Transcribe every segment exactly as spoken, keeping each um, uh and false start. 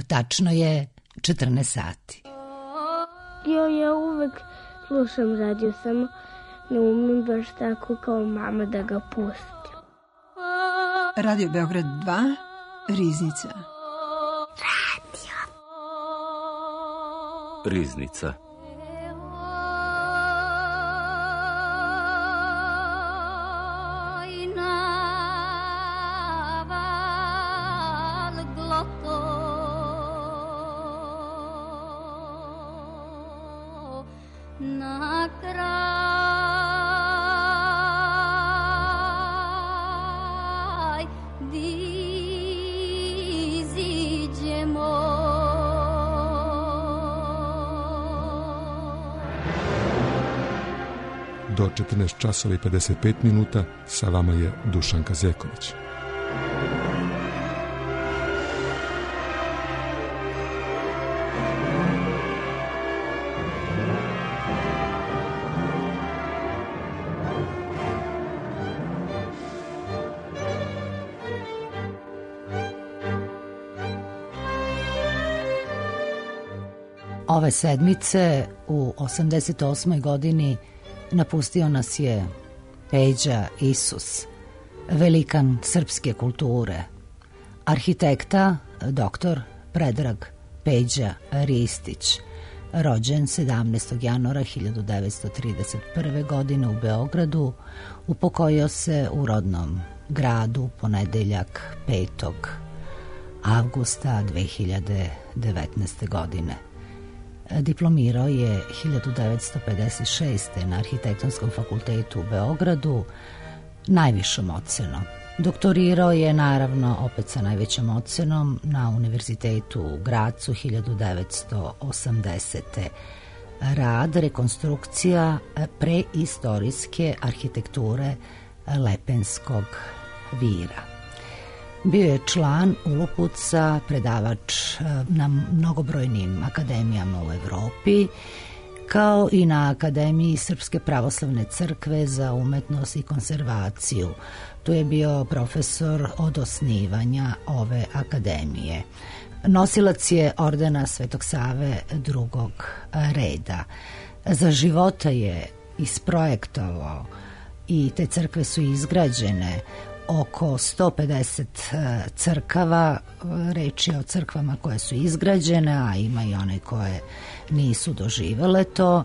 Tačno je četrnaest sati. Jo, ja uvek slušam radio, samo ne umem baš tako kao mama da ga pustim. Radio Beograd dva, Riznica. Radio. Riznica. Do četrnaest časova i pedeset pet minuta sa vama je Dušanka Zeković. Ove sedmice u osamdeset osmoj godini napustio nas je Peđa Isus, velikan srpske kulture, arhitekta doktor Predrag Peđa Ristić, rođen sedamnaestog januara hiljadu devetsto trideset prve. godine u Beogradu, upokojio se u rodnom gradu ponedeljak petog avgusta dve hiljade devetnaeste. godine. Diplomirao je hiljadu devetsto pedeset šeste. na Arhitektonskom fakultetu u Beogradu najvišom ocenom. Doktorirao je naravno opet sa najvećom ocenom na Univerzitetu u Gracu hiljadu devetsto osamdesete. Rad rekonstrukcija preistorijske arhitekture Lepenskog vira. Bio je član Ulupuca, predavač na mnogobrojnim akademijama u Evropi, kao i na Akademiji Srpske pravoslavne crkve za umetnost i konzervaciju. Tu je bio profesor od osnivanja ove akademije. Nosilac je ordena Svetog Save drugog reda. Za života je isprojektovao i te crkve su izgrađene oko sto pedeset crkava, reč je o crkvama koje su izgrađene, a ima i one koje nisu doživele to.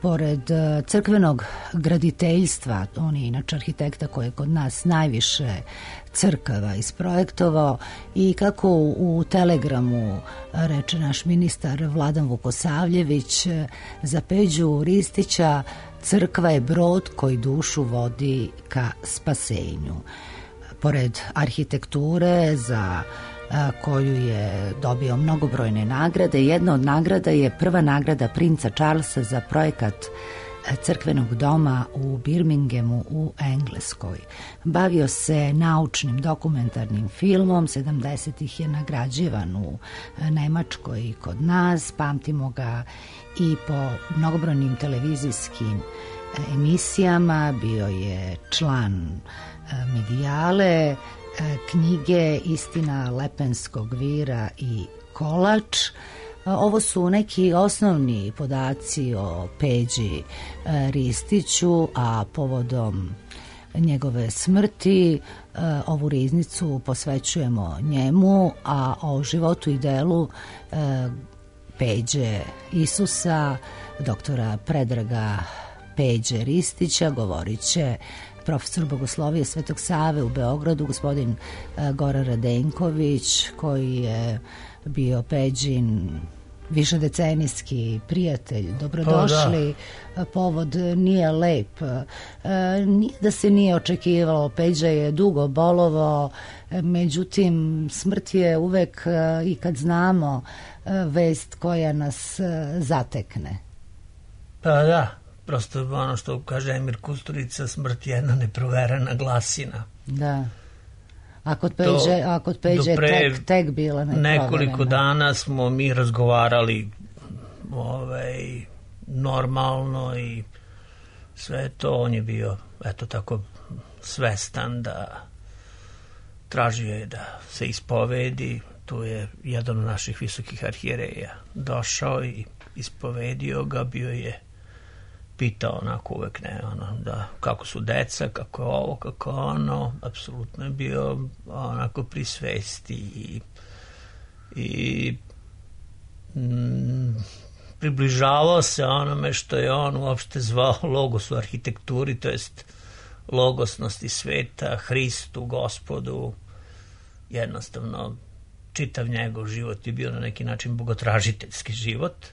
Pored crkvenog graditeljstva, on je inače arhitekta koji je kod nas najviše crkava isprojektovao, i kako u Telegramu reče naš ministar Vladan Vukosavljević, za Peđu Ristića crkva je brod koji dušu vodi ka spasenju. Pored arhitekture za koju je dobio mnogobrojne nagrade, jedna od nagrada je prva nagrada princa Charlesa za projekat crkvenog doma u Birminghamu u Engleskoj. Bavio se naučnim dokumentarnim filmom, sedamdesetih je nagrađivan u Nemačkoj i kod nas, pamtimo ga i po mnogobrojnim televizijskim emisijama, bio je član Medijale, knjige Istina Lepenskog vira i Kolač. Ovo su neki osnovni podaci o Peđi Ristiću, a povodom njegove smrti ovu riznicu posvećujemo njemu, a o životu i delu Peđe Isusa, doktora Predraga Peđe Ristića, govorit će profesor bogoslovije Svetog Save u Beogradu, gospodin Goran Radenković, koji je bio Peđin višedecenijski prijatelj. Dobrodošli. Pa, da. Povod nije lep. Nije da se nije očekivalo. Peđa je dugo bolovao, međutim smrt je uvek, i kad znamo, vest koja nas zatekne. Pa da, prosto ono što kaže Emir Kusturica, smrt je jedna neproverena glasina. Da. A kod Peđe, a kod Peđe je tek, tek bila neproverena. Nekoliko dana smo mi razgovarali ovaj, normalno i sve to. On je bio, eto tako, svestan da tražio je da se ispovedi. tu je jedan od naših visokih arhijereja došao i ispovedio ga, bio je pitao onako uvek ne, ono, da, kako su deca, kako je ovo, kako ono, apsolutno je bio onako pri svesti i, i mm, približavao se onome što je on uopšte zvao logos u arhitekturi, to jest logosnosti sveta, Hristu, Gospodu. Jednostavno, čitav njegov život je bio na neki način bogotražiteljski život.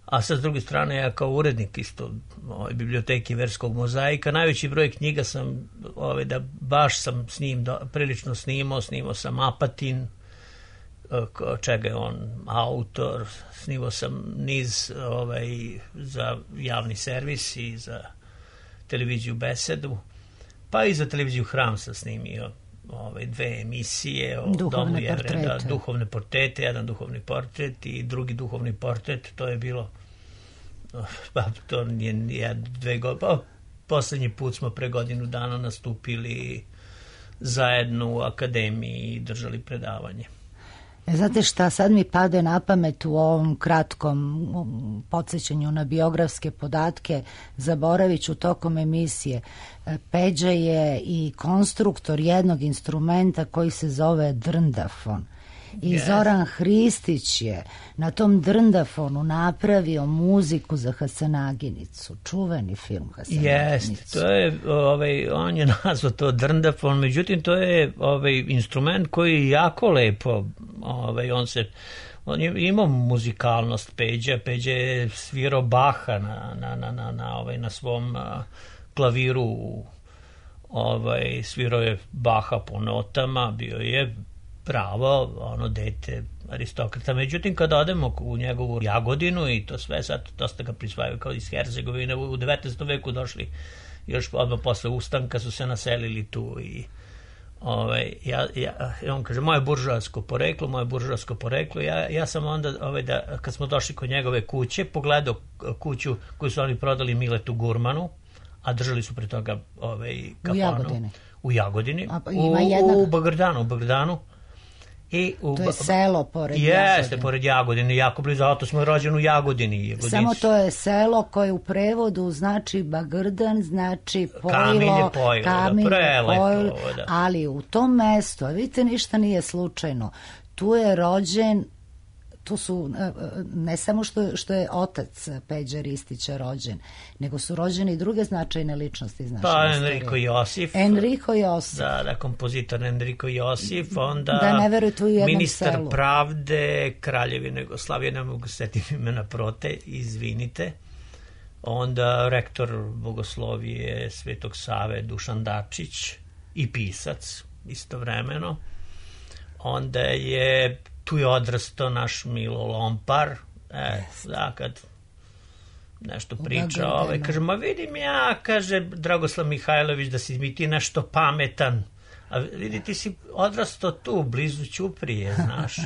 A sa s druge strane, ja kao urednik isto ovaj, biblioteke verskog mozaika, najveći broj knjiga sam, ovaj, da baš sam s njim do, prilično snimao, snimao sam Apatin, čega je on autor, snimao sam niz ovaj, za javni servis i za televiziju Besedu, pa i za televiziju Hram sam snimio ove dve emisije o duhovne Domu Jevreda, portrete. duhovne portrete, jedan duhovni portret i drugi duhovni portret, to je bilo pa to nije dve godine, pa poslednji put smo pre godinu dana nastupili zajedno u akademiji i držali predavanje. Znate šta, sad mi pade na pamet u ovom kratkom podsjećanju na biografske podatke, zaboravit ću tokom emisije. Peđa je i konstruktor jednog instrumenta koji se zove drndafon. I yes. Zoran Hristić je na tom drndafonu napravio muziku za Hasanaginicu, čuveni film Hasanaginicu. Jeste, to je, ovaj, on je nazvao to drndafon, međutim to je ovaj, instrument koji je jako lepo, ovaj, on se, on je imao muzikalnost Peđa, Peđa je svirao Baha na, na, na, na, na, ovaj, na svom a, klaviru, ovaj, svirao je Baha po notama, bio je pravo, ono, dete aristokrata. Međutim, kada odemo u njegovu Jagodinu i to sve, sad dosta ga prisvajaju kao iz Hercegovine, u devetnaestom veku došli, još odmah posle ustanka su se naselili tu i ovaj, ja, ja, on kaže, moje buržoasko poreklo, moje buržoasko poreklo, ja, ja sam onda, ovaj, da, kad smo došli kod njegove kuće, pogledao kuću koju su oni prodali Miletu Gurmanu, a držali su pre toga ovaj, kafanu. U Jagodini. U Jagodini. A, u, u, u Bagrdanu, u Bagrdanu. I u, to je selo pored jeste, Jagodine. Jeste, pored Jagodine, jako blizu, zato smo rođeni u Jagodini. Jagodinci. Samo to je selo koje u prevodu znači Bagrdan, znači pojilo, Kamilje pojilo, Kamilje prelepo, pojilo, da. ali u tom mestu, a vidite, ništa nije slučajno, tu je rođen, tu su, ne samo što, što je otac Peđa Ristića rođen, nego su rođene i druge značajne ličnosti iz naše pa, istorije. Enrico Josif. Enrico Josif. Da, da, kompozitor Enrico Josif, onda da ne verujete u jednom ministar selu. pravde Kraljevine Jugoslavije, ne mogu setiti imena prote, izvinite. Onda rektor bogoslovije Svetog Save Dušan Dačić i pisac istovremeno. Onda je tu je odrastao naš Milo Lompar, e, da, kad nešto priča, ovaj, kaže, ma vidim ja, kaže Dragoslav Mihajlović, da si mi ti nešto pametan, a vidi, ti si odrastao tu, blizu Ćuprije, znaš.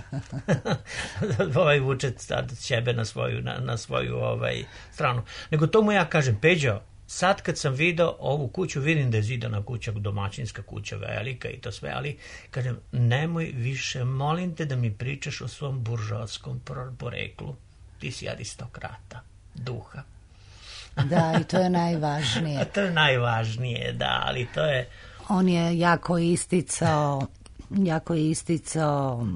Ovaj vuče sad sebe na svoju, na, na svoju ovaj, stranu. Nego to mu ja kažem, Peđo, sad kad sam video ovu kuću, vidim da je zidana kuća, domaćinska kuća, velika i to sve, ali kažem, nemoj više, molim te da mi pričaš o svom buržoaskom poreklu. Ti si aristokrata, duha. Da, i to je najvažnije. To je najvažnije, da, ali to je... On je jako isticao jako je isticao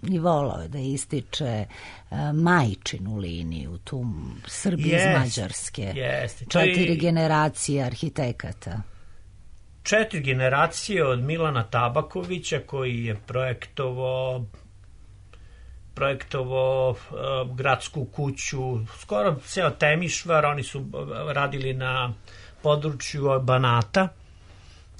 i volao je da ističe uh, majčinu liniju, tu Srbi yes, iz Mađarske. Yes, Četiri i... generacije arhitekata. Četiri generacije od Milana Tabakovića, koji je projektovao projektovao uh, gradsku kuću, skoro ceo Temišvar, oni su radili na području Banata.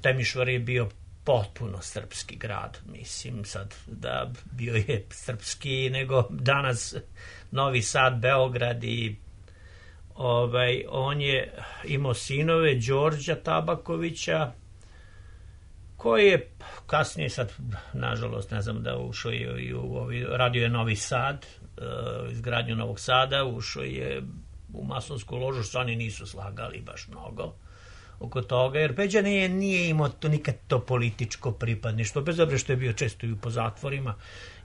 Temišvar je bio potpuno srpski grad, mislim sad da bio je srpski nego danas Novi Sad, Beograd i ovaj, on je imao sinove Đorđa Tabakovića koji je kasnije sad, nažalost, ne znam da ušao je i u ovaj, radio je Novi Sad, uh, izgradnju Novog Sada, ušao je u masonsku ložu, što oni nisu slagali baš mnogo. oko toga, jer Peđa nije, nije imao to nikad to političko pripadništvo, bez obzira što je bio često i po zatvorima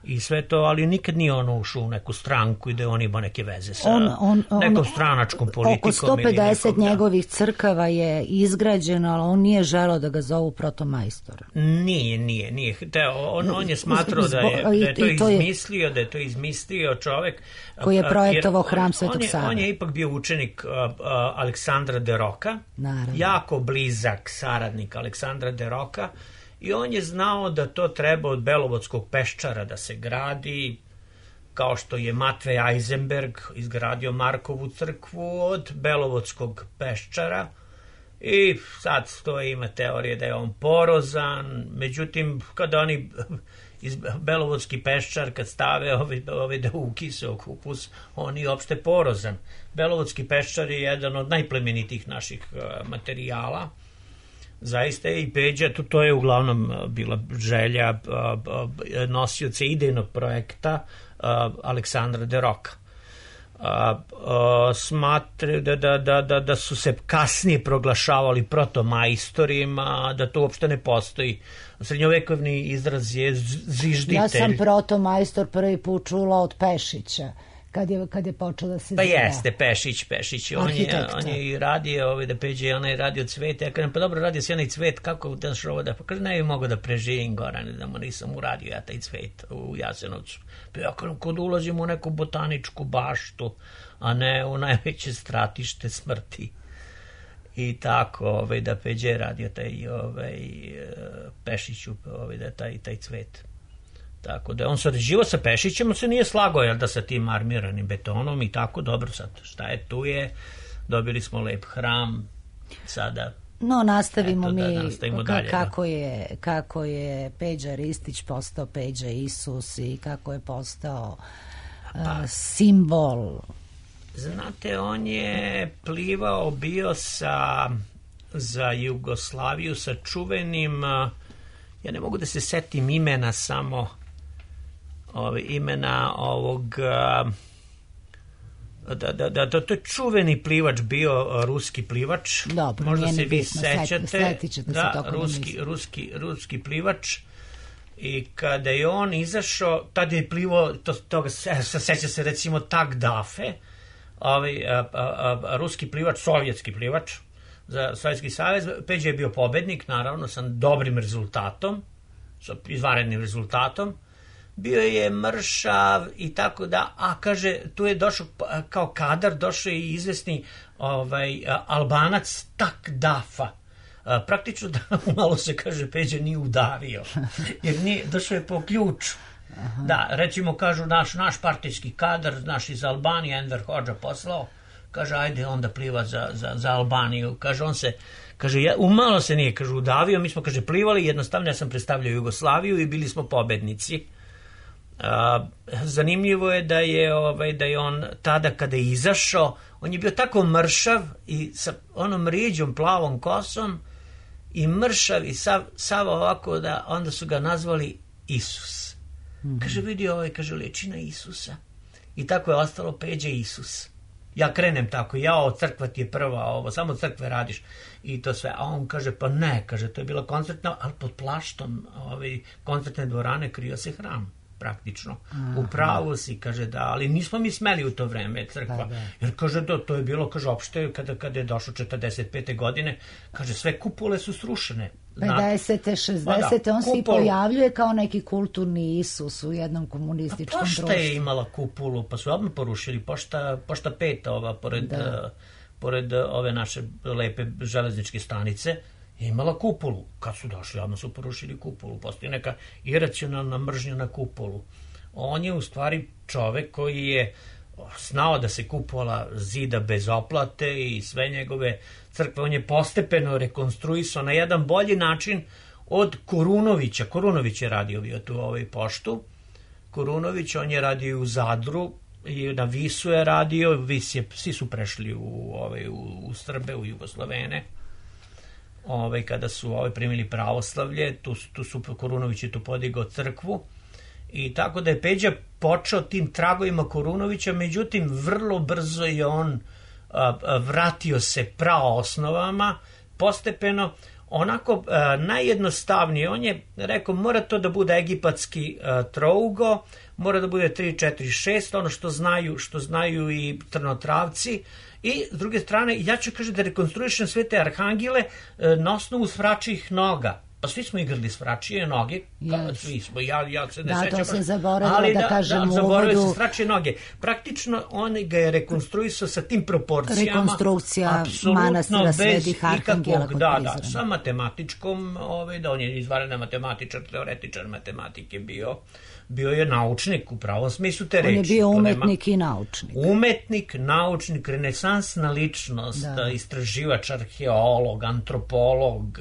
i sve to, ali nikad nije ono ušao u neku stranku i da on ima neke veze sa on, on, on, nekom stranačkom politikom. Oko sto pedeset nekom, njegovih crkava je izgrađeno, ali on nije želeo da ga zovu protomajstor. Nije, nije, nije. Te, on, on je smatrao da je, da je to, to izmislio, da je to izmislio čovek koji je projektovao hram Svetog Save. On je ipak bio učenik uh, uh, Aleksandra de Roka, naravno, jako blizak saradnik Aleksandra de Roka, i on je znao da to treba od Belovodskog peščara da se gradi, kao što je Matvej Eisenberg izgradio Markovu crkvu od Belovodskog peščara. I sad to ima teorije da je on porozan, međutim kada oni iz Belovodski peščar kad stave ovi, ovi da ukise kupus, on je opšte porozan. Belovodski peščar je jedan od najplemenitih naših uh, materijala. Zaista je i Peđa, to, to je uglavnom bila želja uh, uh, nosioca idejnog projekta uh, Aleksandra de Roka. Uh, uh, smatre da, da, da, da, da su se kasnije proglašavali protomajstorima, da to uopšte ne postoji. Srednjovekovni izraz je zvižditelj. Ja sam protomajstor prvi put čula od Pešića. Kad je, kad je počeo da se pa zna. Jeste, Pešić, Pešić. On je, on je i radio, ovaj, da Peđe je onaj radio cvet. Ja kažem, pa dobro, radio si onaj cvet, kako daš ovo da... Pa kaže, ne bi mogo da preživim Gorane, da mu nisam uradio ja taj cvet u Jasenovcu. Pa ja kažem, kod ulazim u neku botaničku baštu, a ne u najveće stratište smrti. I tako, ovaj, da Peđe je radio taj ovaj, Pešiću, ovaj, da taj, taj cvet. Tako da on sarađivao sa Pešićem, on se nije slagao, jel da, sa tim armiranim betonom i tako, dobro sad, šta je tu je, dobili smo lep hram, sada... No, nastavimo eto, mi da nastavimo dalje, kako, da. je, kako je Peđa Ristić postao Peđa Isus i kako je postao uh, pa, simbol. Znate, on je plivao, bio sa, za Jugoslaviju sa čuvenim, ja ne mogu da se setim imena samo, Ove, imena ovog da, da, da, to je čuveni plivač bio, ruski plivač. Dobro, možda se vi bitno, sećate da, ruski, da ruski, ruski plivač, i kada je on izašao, tada je plivao to, toga, seća se recimo Tak Dafe, ovaj, a, a, a, ruski plivač, sovjetski plivač za Sovjetski savez. Peđa je bio pobednik, naravno, sa dobrim rezultatom, sa izvanrednim rezultatom. Bio je mršav i tako da, a kaže, tu je došao kao kadar, došao je i izvesni ovaj, Albanac Tak Dafa. Praktično da malo se, kaže, Peđa nije udavio, jer nije, došao je po ključu. Aha. Da, recimo, kažu, naš, naš partijski kadar, naš iz Albanije, Enver Hodža poslao, kaže, ajde onda pliva za, za, za Albaniju. Kaže, on se, kaže, ja, umalo se nije, kaže, udavio, mi smo, kaže, plivali, jednostavno ja sam predstavljao Jugoslaviju i bili smo pobednici. Uh, zanimljivo je da je, ovaj, da je on tada kada je izašao, on je bio tako mršav i sa onom riđom plavom kosom i mršav i sav, sav ovako da onda su ga nazvali Isus. Mm-hmm. Kaže, vidi ovaj, kaže, liči na Isusa. I tako je ostalo Peđa Isus. Ja krenem tako, jao, crkva ti je prva, ovo, samo crkve radiš i to sve. A on kaže, pa ne, kaže, to je bila koncertna, ali pod plaštom ovaj, koncertne dvorane krio se hram. Praktično. Aha. U pravu si, kaže, da, ali nismo mi smeli u to vreme crkva, da, da. Jer kaže, da, to je bilo, kaže, opšte kada, kada je došlo četrdeset pete godine, kaže, sve kupole su srušene. pedesete, šezdesete on kupol... se i pojavljuje kao neki kulturni Isus u jednom komunističkom društvu. Pošta je imala kupulu, pa su odmah porušili, pošta, pošta peta ova, pored, uh, pored ove naše lepe železničke stanice, je imala kupolu. Kad su došli, odmah su porušili kupolu. Postoji neka iracionalna mržnja na kupolu. On je u stvari čovek koji je znao da se kupola zida bez oplate i sve njegove crkve. On je postepeno rekonstruisao na jedan bolji način od Korunovića. Korunović je radio bio tu ovaj poštu. Korunović, on je radio u Zadru i na Visu je radio. Vis je, svi su prešli u, ovaj, u, u Srbe, u Jugoslovene. Ove, kada su ove primili pravoslavlje, tu, tu su Korunović je tu podigao crkvu i tako da je Peđa počeo tim tragovima Korunovića, međutim vrlo brzo je on a, a, vratio se praosnovama, postepeno, onako uh, najjednostavnije. On je rekao, mora to da bude egipatski uh, trougo, mora da bude tri četiri šest, ono što znaju, što znaju i trnotravci. I s druge strane, ja ću kaže da rekonstruišem sve te arhangile uh, na osnovu svračijih noga. Pa svi smo igrali s vračije noge, yes. Svi smo, ja, ja se ne da, sećam. Da, to se zaboravilo ali da, da kažem da, u zaboravio uvodu. se sračije noge. Praktično on ga je rekonstruisao sa tim proporcijama. Rekonstrukcija manastira Svetih Arhangela kod Da, Prizrena. da, sa matematičkom, ovaj, da on je izvanredan matematičar, teoretičar matematike bio. Bio je naučnik u pravom smislu te reči. On je bio umetnik nema... i naučnik. Umetnik, naučnik, renesansna ličnost, da. Istraživač, arheolog, antropolog.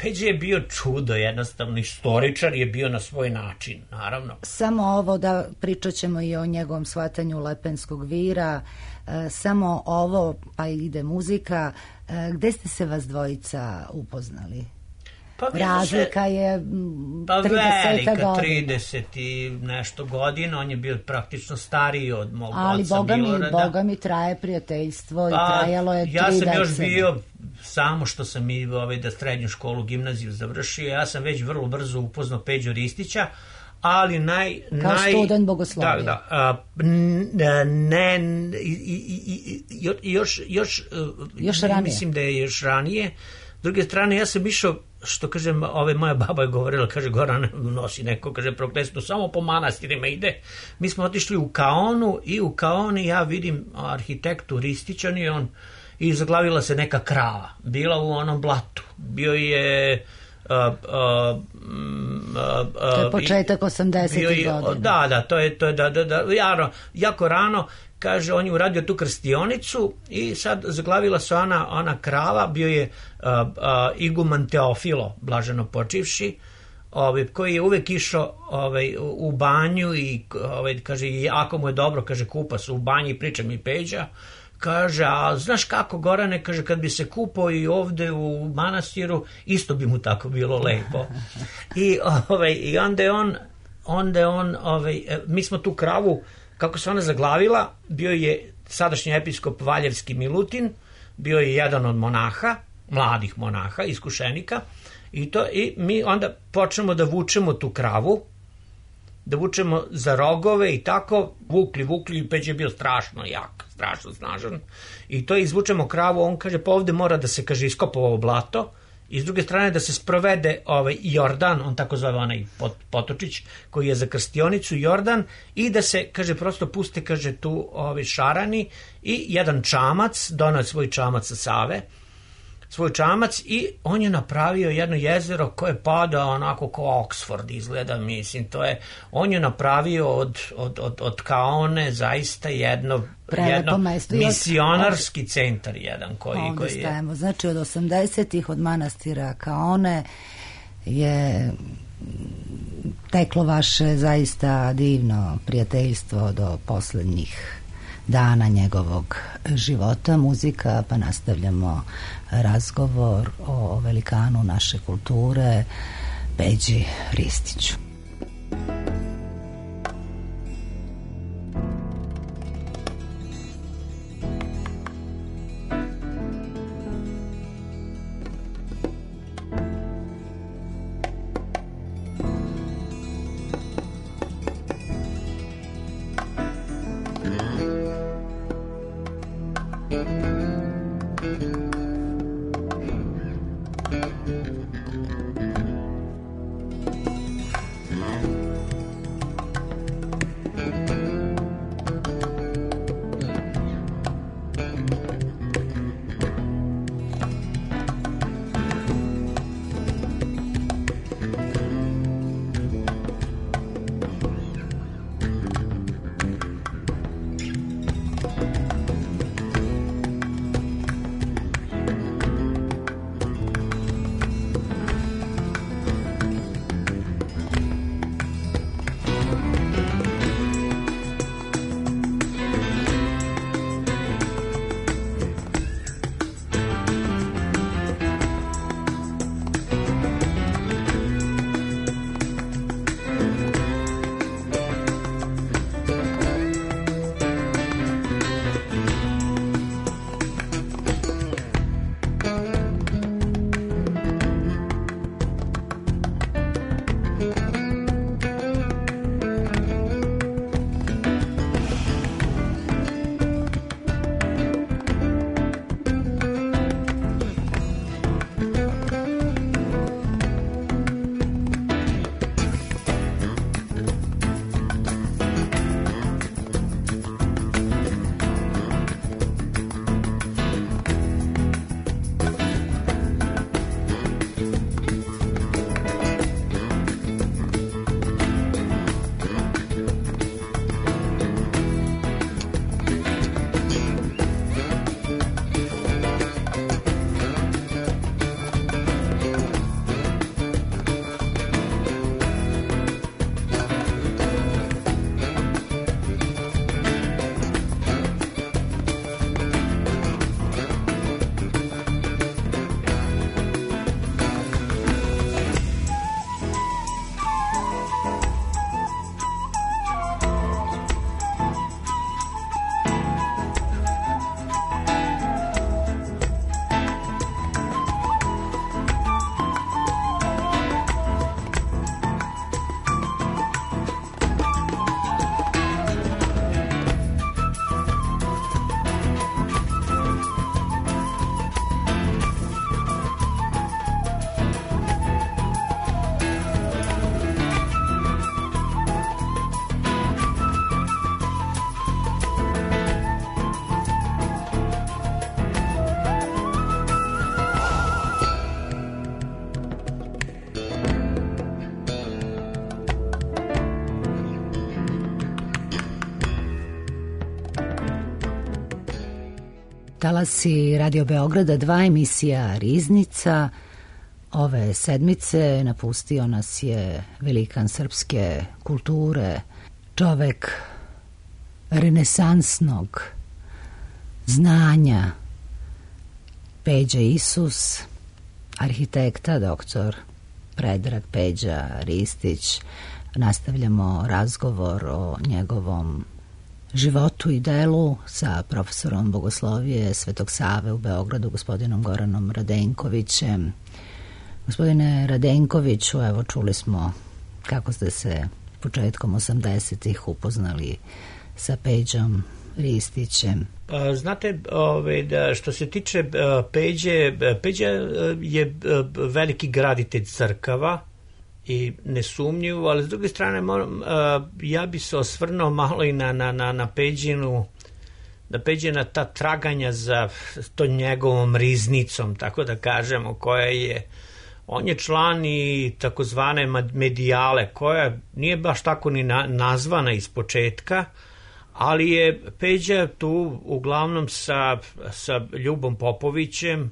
Peđa je bio čudo, jednostavno istoričar je bio na svoj način, naravno. Samo ovo da pričat ćemo i o njegovom shvatanju Lepenskog vira, e, samo ovo, pa ide muzika. E, gde ste se vas dvojica upoznali? Pa razlika se, je pa trideset velika, trideset i nešto godina, on je bio praktično stariji od mog ali oca Boga Milorada. Ali Boga mi traje prijateljstvo pa, i trajalo je tri ja sam decene. još bio, samo što sam i ovaj, da srednju školu, gimnaziju završio, ja sam već vrlo brzo upoznao Peđu Ristića, ali naj... Kao naj, student bogoslovija. Da, da, a, ne, i, i, i, još, još, još ranije. Mislim da je još ranije. S druge strane, ja sam išao, što kažem, ove moja baba je govorila, kaže, Goran nosi neko, kaže, prokletstvo, samo po manastirima ide. Mi smo otišli u Kaonu i u Kaoni ja vidim arhitektu Ristićan i on, i zaglavila se neka krava, bila u onom blatu. Bio je... Uh, uh, uh, uh, to je početak osamdesetih godina. Da, da, to je, to je da, da, da, jaro, jako rano, kaže, on je uradio tu krstionicu i sad zaglavila se ona, ona krava, bio je uh, uh, iguman Teofilo, blaženo počivši, ovaj, koji je uvek išao ovaj, u banju i ovaj, kaže, ako mu je dobro, kaže, kupa se u banji i priča mi Peđa. Kaže, a znaš kako, Gorane, kaže, kad bi se kupao i ovde u manastiru, isto bi mu tako bilo lepo. I, ovaj, i onda je on, onda je on ovaj, mi smo tu kravu, kako se ona zaglavila, bio je sadašnji episkop Valjevski Milutin, bio je jedan od monaha, mladih monaha, iskušenika, i, to, i mi onda počnemo da vučemo tu kravu, da vučemo za rogove i tako, vukli, vukli, i Peđa je bio strašno jak, strašno snažan, i to izvučemo kravu, on kaže, pa ovde mora da se, kaže, iskopa ovo blato, i s druge strane da se sprovede ovaj Jordan, on tako zove onaj potočić, koji je za krstionicu Jordan, i da se, kaže, prosto puste, kaže, tu ovi šarani, i jedan čamac, donao svoj čamac sa Save, svoj čamac, i on je napravio jedno jezero koje pada onako kao Oxford izgleda, mislim, to je, on je napravio od, od, od, od Kaone zaista jedno, jedno misionarski od, centar jedan koji, ovdje koji je... stajemo, znači od osamdesetih od manastira Kaone je teklo vaše zaista divno prijateljstvo do poslednjih dana njegovog života. Muzika, pa nastavljamo razgovor o velikanu naše kulture, Peđi Ristiću. Talasi Radio Beograda dva, emisija Riznica. Ove sedmice napustio nas je velikan srpske kulture, čovek renesansnog znanja, Peđa Isus, arhitekta doktor Predrag Peđa Ristić. Nastavljamo razgovor o njegovom životu i delu sa profesorom bogoslovije Svetog Save u Beogradu, gospodinom Goranom Radenkovićem. Gospodine Radenkoviću, evo čuli smo kako ste se početkom osamdesetih upoznali sa Peđom Ristićem. Znate, ove, da što se tiče Peđe, Peđa je veliki graditelj crkava i nesumnjivo, ali s druge strane moram, ja bi se osvrnuo malo i na, na, na, na Peđinu, na Peđina ta traganja za to njegovom riznicom, tako da kažemo, koja je, on je član i takozvane medijale, koja nije baš tako ni na, nazvana iz početka, ali je Peđa tu uglavnom sa, sa Ljubom Popovićem,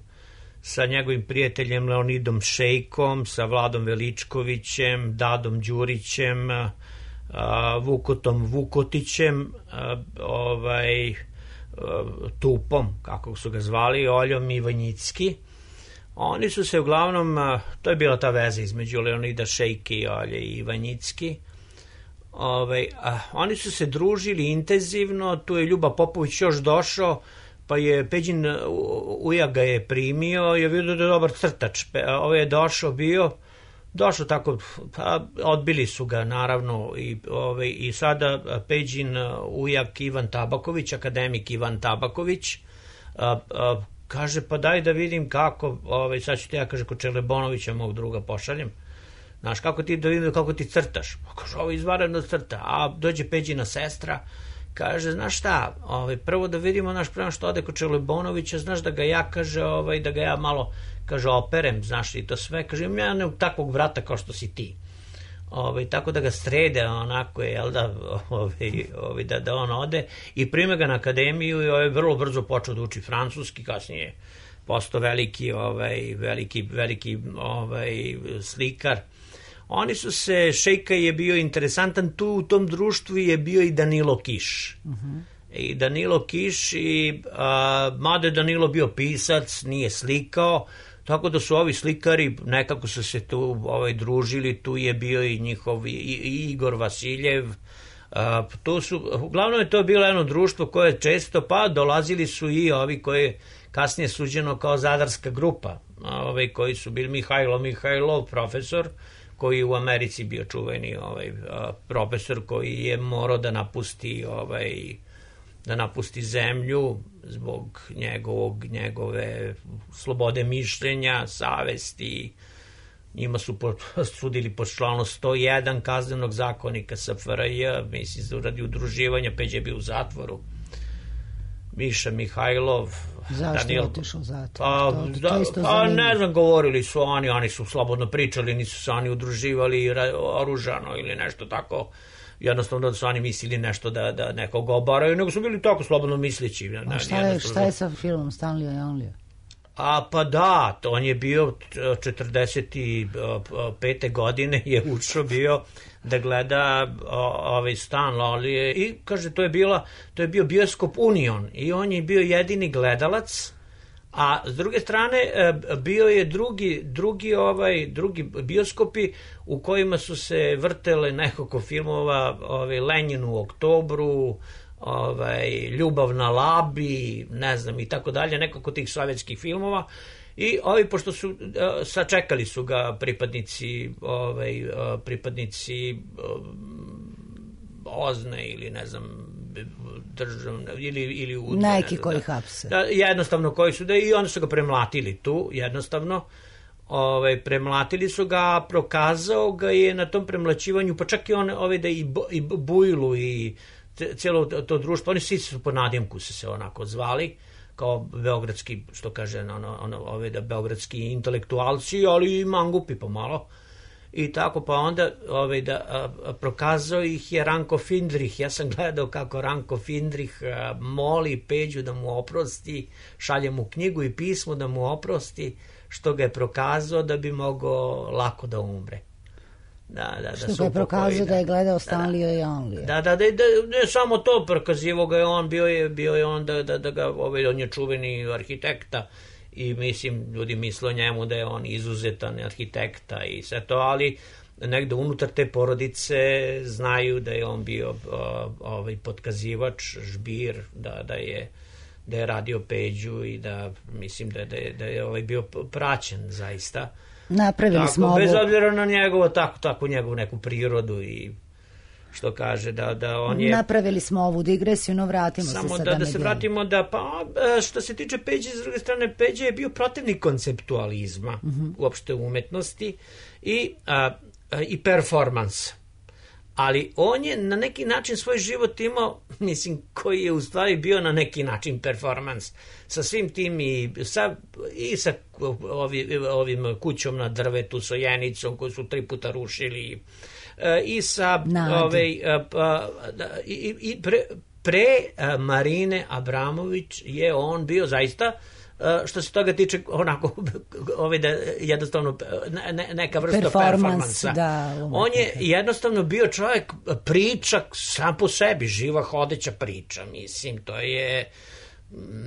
sa njegovim prijateljem Leonidom Šejkom, sa Vladom Veličkovićem, Dadom Đurićem, a, Vukotom Vukotićem, a, ovaj, a, Tupom, kako su ga zvali, Oljom Ivanjicki. Oni su se uglavnom, a, to je bila ta veza između Leonida Šejke i Olje Ivanjicki. Ovaj, a, oni su se družili intenzivno, tu je Ljuba Popović još došao, pa je Peđin ujak ga je primio i je vidio da je dobar crtač. Ovo je došao bio, došao tako, pa odbili su ga naravno i, ove, i sada Peđin ujak Ivan Tabaković, akademik Ivan Tabaković, a, a, kaže pa daj da vidim kako, ove, sad ću ti ja, kaže, kod Čelebonovića mog druga pošaljem. Znaš, kako ti da vidim kako ti crtaš? Pa kaže, ovo izvanredno crta. A dođe Peđina sestra, kaže, znaš šta, ovaj, prvo da vidimo, naš prema što ode kod Čelebonovića, znaš da ga ja, kaže, ovaj, da ga ja malo, kaže, operem, znaš, i to sve, kaže, ja ne takvog vrata kao što si ti. Ovaj, tako da ga srede, onako je, jel da, ovaj, ovaj, da, da on ode i prime ga na akademiju i ovaj, vrlo brzo počeo da uči francuski, kasnije postao veliki, ovaj, veliki, veliki ovaj, slikar. Oni su se, Šejka je bio interesantan, tu u tom društvu je bio i Danilo Kiš. Uh-huh. I Danilo Kiš, i, a, mada je Danilo bio pisac, nije slikao, tako da su ovi slikari, nekako su se tu ovaj, družili, tu je bio i njihov i, i Igor Vasiljev. A, to su, uglavnom je to bilo jedno društvo koje često, pa dolazili su i ovi koji kasnije suđeno kao Zadarska grupa, ovi koji su bili Mihajlo Mihajlov, profesor, koji u Americi bio čuveni ovaj, profesor koji je morao da napusti ovaj, da napusti zemlju zbog njegovog, njegove slobode mišljenja, savesti. Njima su sudili po članu sto jedan kaznenog zakonika S F R J, mislim, radi udruživanja, Peđa je bio u zatvoru. Miša Mihajlov. Zašto je otišao zatvor? A, to, to da, a ne znam, govorili su oni, oni su slobodno pričali, nisu se oni udruživali oružano ili nešto tako, jednostavno da su oni mislili nešto da, da nekog obaraju, nego su bili tako slobodno misleći. A šta je, šta je sa filmom Stanlija i Onlija? A pa da, on je bio četrdeset pete godine je ušao bio da gleda ovaj Stan Lolije i kaže to je bila to je bio bioskop Union i on je bio jedini gledalac, a s druge strane bio je drugi drugi ovaj drugi bioskopi u kojima su se vrtele nekoliko filmova, ovaj Lenjin u oktobru, ovaj Ljubav na Labi, ne znam i tako dalje, nekako tih sovjetskih filmova. I ovi, pošto su, uh, sačekali su ga pripadnici, ovaj, uh, pripadnici um, Ozne ili ne znam, državne, ili, ili udne, neki koji hapse. Da, jednostavno koji su, da i onda su ga premlatili tu, jednostavno. Ovaj, premlatili su ga, prokazao ga je na tom premlaćivanju, pa čak i on, ovaj, da i, bo, i Bujlu i cijelo to društvo, oni svi su po nadimku su se onako zvali, kao beogradski, što kaže, ono, ono, ove da beogradski intelektualci, ali i mangupi pomalo. i tako, pa onda ovaj, da, a, a, prokazao ih je Ranko Findrih. Ja sam gledao kako Ranko Findrih a, moli Peđu da mu oprosti, šalje mu knjigu i pismo da mu oprosti što ga je prokazao da bi mogao lako da umre. Da, da, što da ga je prokazao da, da je gledao Stanlija i Onlija. Da, da, da, da, ne samo to, prokazivo ga je on, bio je, bio je on da, da, da ga, ovaj, on je čuveni arhitekta i mislim, ljudi misle o njemu da je on izuzetan arhitekta i sve to, ali negde unutar te porodice znaju da je on bio ovaj, potkazivač, žbir, da, da je da je radio Peđu i da mislim da, da je, da je ovaj bio praćen zaista. Napravili tako, smo ovo. Bez obzira na njegovo, tako, tako njegovu neku prirodu i što kaže da, da on je... Napravili smo ovu digresiju, no vratimo samo se sada. Samo da, da se vratimo da, pa što se tiče Peđe, s druge strane, Peđe je bio protivnik konceptualizma, uh-huh. uopšte umetnosti i, a, a, i performans. Ali on je na neki način svoj život imao, mislim, koji je u stvari bio na neki način performans. Sa svim tim i sa, i sa ovi, ovim kućom na drvetu, Sojenicom, koju su tri puta rušili, i sa ove, i, i pre, pre Marine Abramović je on bio zaista, što se toga tiče, onako ovaj da jednostavno ne, neka vrsta performansa. Da, on je jednostavno bio čovjek pričak sam po sebi, živa hodeća priča, mislim, to je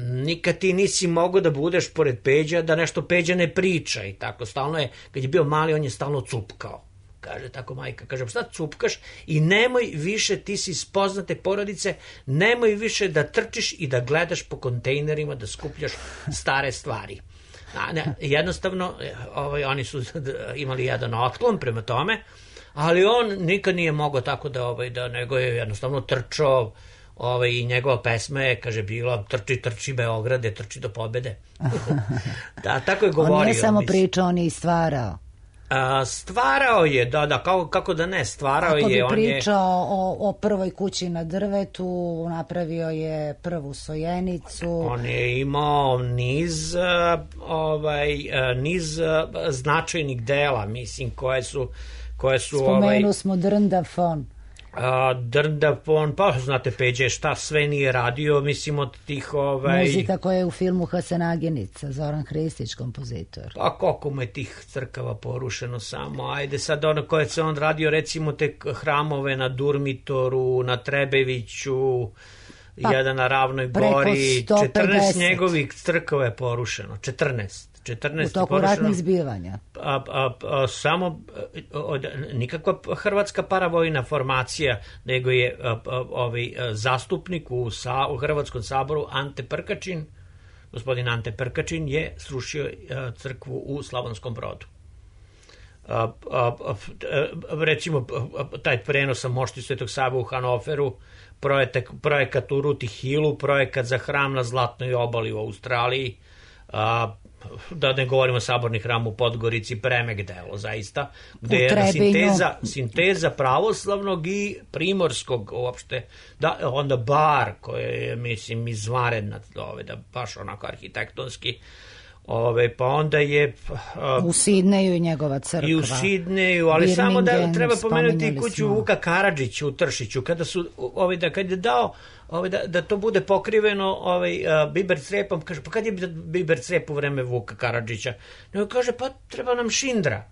nikad ti nisi mogao da budeš pored Peđa da nešto Peđa ne priča i tako, stalno je, kad je bio mali on je stalno cupkao. Kaže tako majka, kaže, šta cupkaš i nemoj više, ti si iz poznate porodice, nemoj više da trčiš i da gledaš po kontejnerima, da skupljaš stare stvari. A, ne, jednostavno, ovaj, oni su imali jedan otklon prema tome, ali on nikad nije mogao tako da, ovaj, da nego je jednostavno trčao, ovaj, i njegova pesma je, kaže, bila trči, trči Beograde, trči do pobede. Da, tako je govorio. On nije samo pričao, on je i stvarao. A, stvarao je, da, da, kako, kako da ne, stvarao Ako je. Ako bi pričao je... o, o prvoj kući na drvetu, napravio je prvu Sojenicu. On je imao niz, ovaj, niz značajnih dela, mislim, koje su... Koje su Spomenuo ovaj, smo Drndafon. A, Drndafon, pa znate Peđe šta sve nije radio, mislim od tih ovaj... Muzika koja je u filmu Hasenaginica, Zoran Hristić, kompozitor. Pa koliko mu je tih crkava porušeno samo, ajde sad ono koje se on radio, recimo te hramove na Durmitoru, na Trebeviću, pa, jedan na Ravnoj Gori, četrnaest njegovih crkava je porušeno, četrnaest. U toku ratnih zbivanja. A, a, a, samo od, nikakva hrvatska paravojna formacija, nego je a, a, ovaj zastupnik u, sa, u Hrvatskom saboru Ante Prkačin, gospodin Ante Prkačin je srušio a, crkvu u Slavonskom Brodu. A, a, a, recimo taj prenos sa mošti Svetog Save u Hanoveru, projekat, projekat u Ruti Hillu, projekat za hram na Zlatnoj obali u Australiji, a, da ne govorimo saborni hram u Podgorici, premek delo zaista, gde je jedna sinteza, sinteza pravoslavnog i primorskog uopšte, da, onda bar koje je, mislim, izvanredna, ove, da baš onako arhitektonski, ove, pa onda je uh, u Sidneju i njegova crkva. I u Sidneju, ali Birmingham, samo da treba pomenuti kuću smo. Vuka Karadžića u Tršiću, kada su, ove, da kad je dao Ovaj, da, da to bude pokriveno ovaj, uh, biber crepom, kaže, pa kad je biber crep u vreme Vuka Karadžića? Nego kaže, pa treba nam šindra.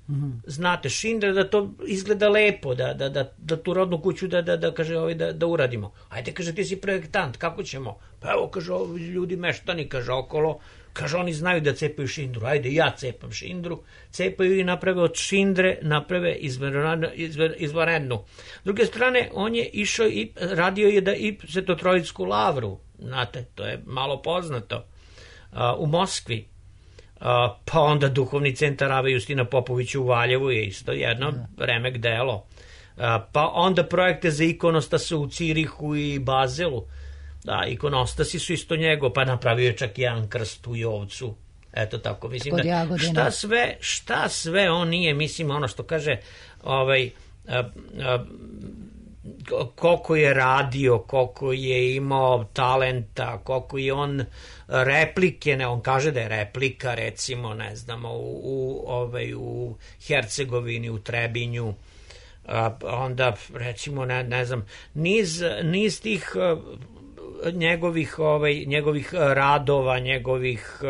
Mm-hmm. Znate, šindra da to izgleda lepo, da, da, da, da tu rodnu kuću da, da, da, kaže, ovaj, da, da uradimo. Ajde, kaže, ti si projektant, kako ćemo? Pa evo, kaže, ovi ljudi meštani, kaže, okolo, kaže, oni znaju da cepaju šindru, ajde, ja cepam šindru, cepaju i naprave od šindre, naprave izvanrednu. S druge strane, on je išao i radio je da i Svetotrojsku lavru, znate, to je malo poznato, a, u Moskvi, a, pa onda duhovni centar Ave Justina Popovića u Valjevu je isto jedno da. remek delo, a, pa onda projekte za ikonostase u Cirihu i Bazelu. Da, ikonostasi su isto njego, pa napravio je čak jedan krst u Jovcu. Eto tako, mislim da šta sve, šta sve on nije, mislim ono što kaže ovaj, a, a, koliko je radio, koliko je imao talenta, koliko je on replike, ne, on kaže da je replika, recimo, ne znamo, u, u, ovaj, u Hercegovini, u Trebinju, a, onda, recimo, ne, ne znam, niz, niz tih a, njegovih, ovaj, njegovih radova, njegovih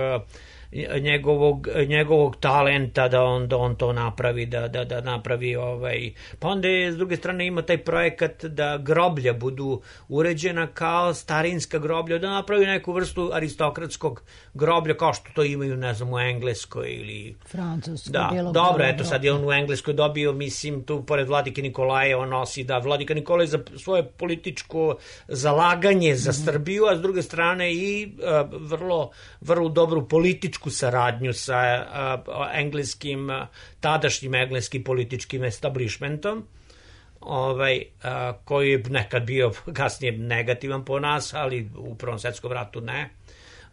njegovog, njegovog talenta da on, da on to napravi, da, da, da napravi ovaj... Pa onda je s druge strane ima taj projekat da groblja budu uređena kao starinska groblja, da napravi neku vrstu aristokratskog groblja kao što to imaju, ne znam, u Engleskoj ili... Francuskoj. Da, dobro, eto sad je on u Engleskoj dobio, mislim, tu pored Vladike Nikolaja on nosi, da, Vladika Nikolaj za svoje političko zalaganje za mm-hmm. Srbiju, a s druge strane i uh, vrlo, vrlo dobru političku saradnju sa uh, engleskim, uh, tadašnjim engleskim političkim establishmentom, ovaj, uh, koji je nekad bio kasnije negativan po nas, ali u Prvom svetskom ratu ne.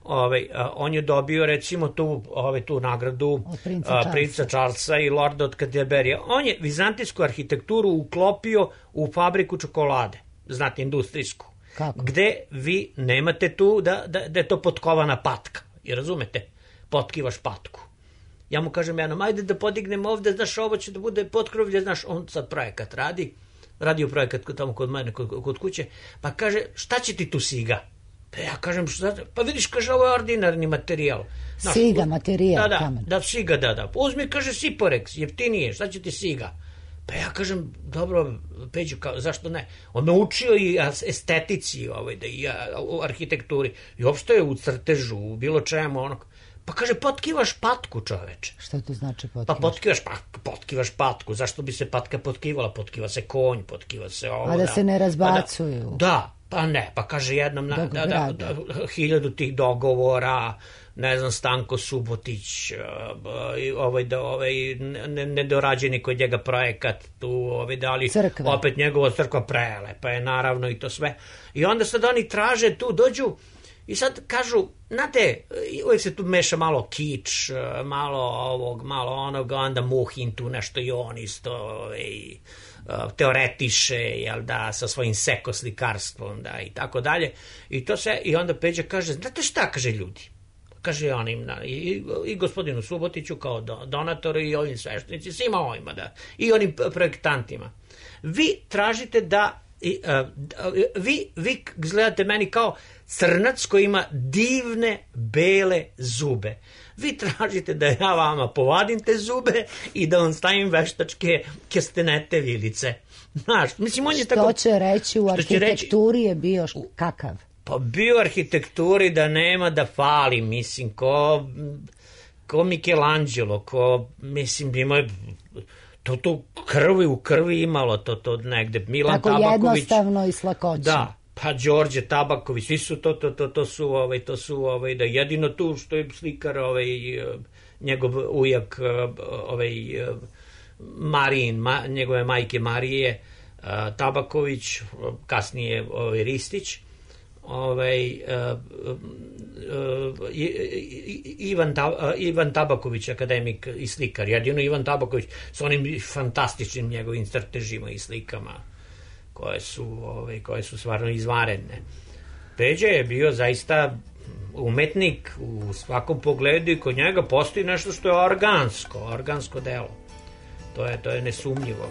Ovaj, uh, on je dobio recimo tu, ovaj, tu nagradu princa, uh, princa Charlesa i Lorda od Canterbury. On je vizantijsku arhitekturu uklopio u fabriku čokolade, znate, industrijsku. Kako? Gde vi nemate tu da, da, da je to potkovana patka, i razumete? Potkivaš patku. Ja mu kažem jednom, ajde da podignemo ovde, znaš, ovo će da bude potkrovlje, znaš, on sad projekat radi, radio projekat tamo kod mene, kod, kod kuće, pa kaže, šta će ti tu siga? Pa ja kažem, šta, pa vidiš, kaže, ovo je ordinarni materijal. Znaš, siga, materijal, da, da, kamen. Da, siga, da, da. Uzmi, kaže, Siporex, jeftinije, šta će ti siga? Pa ja kažem, dobro, Peđo, kao, zašto ne? On me učio i estetici, ovaj, da i u arhitekturi, i uopšte je u crtežu, u bilo čemu, onog. Pa kaže, potkivaš patku, čoveče. Šta to znači potkivaš? Pa potkivaš, pa, potkivaš patku. Zašto bi se patka potkivala? Potkiva se konj, potkiva se ovo. A da, da se ne razbacuju. Pa da, da, pa ne, pa kaže jednom, na, da, da, da, hiljadu tih dogovora, ne znam, Stanko Subotić, ovaj, da, ovaj, nedorađeni kod njega projekat, tu, ovaj, da li, crkva. Opet njegova crkva prelepa je, naravno, i to sve. I onda sad oni traže tu, dođu, i sad kažu, znate, uvijek se tu meša malo kič, malo ovog, malo onog, onda Muhin tu nešto i on isto ovaj, teoretiše, jel da, sa svojim sekoslikarstvom, da, i tako dalje. I to se, i onda Peđa kaže, znate šta, kaže ljudi, kaže onim, i, i gospodinu Subotiću kao donatoru i ovim sveštenici, svima ovima, da, i onim projektantima. Vi tražite da I, uh, vi, vi gledate meni kao crnac koji ima divne bele zube. Vi tražite da ja vama povadim te zube i da vam stavim veštačke kestenete vilice. Znaš, mislim, on je što tako... će reći u arhitekturi reći, je bio kakav? Pa bio u arhitekturi da nema da fali, mislim, ko, ko Michelangelo, ko, mislim, ima... To to krvi u krvi imalo, to to negde. Milan tako Tabaković. Tako jednostavno i s lakoćom. Da, pa Đorđe Tabaković, svi su to, to, to, to su, ovaj, to su, ovaj, da jedino tu što je slikar, ovaj, njegov ujak, ovaj, Marijin, ma, njegove majke Marije, Tabaković, kasnije ovaj, Ristić, ovaj, uh, uh, Ivan, Ta, Ivan Tabaković, akademik i slikar, jedino Ivan Tabaković s onim fantastičnim njegovim crtežima i slikama koje su, ovaj, koje su stvarno izvanredne. Peđa je bio zaista umetnik u svakom pogledu i kod njega postoji nešto što je organsko, organsko delo. To je, to je nesumnjivo.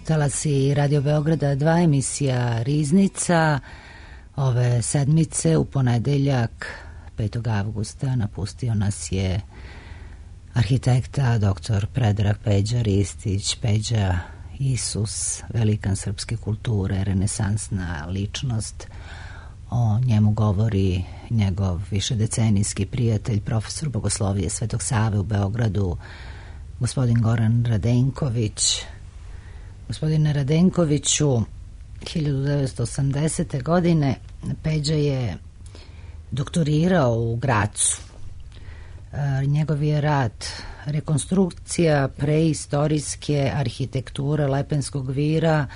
talasi Radio Beograda dva, emisija Riznica. Ove sedmice u ponedeljak petog avgusta napustio nas je arhitekta doktor Predrag Peđa Ristić. Peđa Isus, velikan srpske kulture, renesansna ličnost. O njemu govori njegov višedecenijski prijatelj, profesor bogoslovije Svetog Save u Beogradu, gospodin Goran Radenković. Gospodine Radenkoviću, hiljadu devetsto osamdesete. godine Peđa je doktorirao u Gracu. E, njegov je rad rekonstrukcija preistorijske arhitekture Lepenskog vira.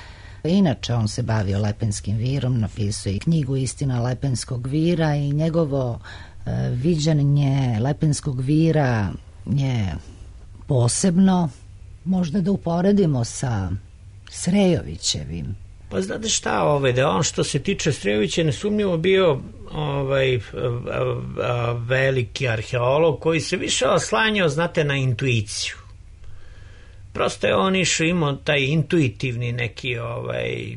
Inače, on se bavio Lepenskim virom, napisao i knjigu Istina Lepenskog vira i njegovo e, viđanje Lepenskog vira je posebno. Možda da uporedimo sa Srejovićevim. Pa znate šta, ovaj, da on što se tiče Srejovića nesumnjivo bio ovaj, veliki arheolog koji se više oslanjao, znate, na intuiciju. Prosto je on išao, imao taj intuitivni neki, ovaj,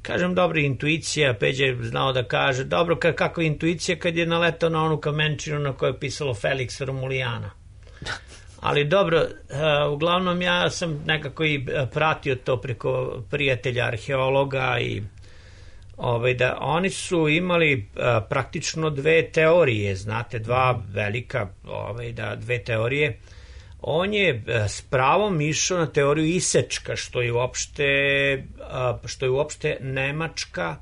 kažem, dobra intuicija. Peđa je znao da kaže, dobro, kako je intuicija kad je naletao na onu kamenčinu na kojoj je pisalo Felix Romulijana. Ali dobro, uh, uglavnom ja sam nekako i pratio to preko prijatelja arheologa i ovaj, da oni su imali uh, praktično dve teorije, znate, dva velika, ovaj, da, dve teorije. On je uh, s pravom išao na teoriju Isečka, što je uopšte, uh, što je uopšte nemačka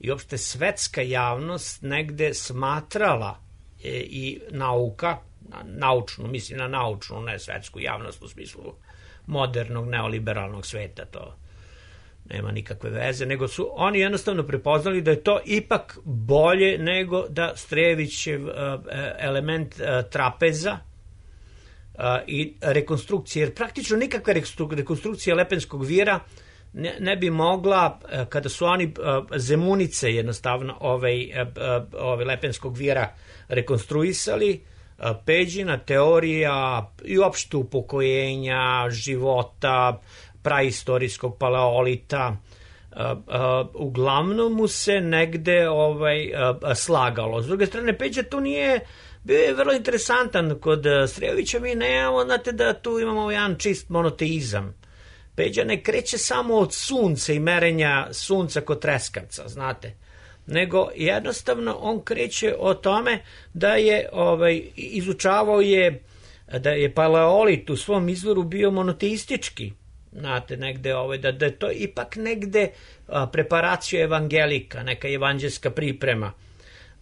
i uopšte svetska javnost negde smatrala e, i nauka, naučnu, mislim na naučnu, ne svetsku javnost u smislu modernog neoliberalnog sveta, to nema nikakve veze, nego su oni jednostavno prepoznali da je to ipak bolje nego da Strejevićev uh, element uh, trapeza uh, i rekonstrukcije, jer praktično nikakva rekonstrukcija Lepenskog vira ne, ne bi mogla, uh, kada su oni uh, Zemunice jednostavno ovaj, uh, ovaj Lepenskog vira rekonstruisali, Peđina teorija i uopšte upokojenja, života, praistorijskog paleolita, uglavnom mu se negde ovaj, slagalo. S druge strane, Peđa tu nije, bio je vrlo interesantan. Kod Srejovića mi nemamo, znate da tu imamo jedan čist monoteizam. Peđa ne kreće samo od sunca i merenja sunca kod treskavca, znate, nego jednostavno on kreće o tome da je ovaj, izučavao je da je paleolit u svom izvoru bio monoteistički, znate, negde ovaj, da, da je to ipak negde a, preparacija evangelika, neka evanđelska priprema.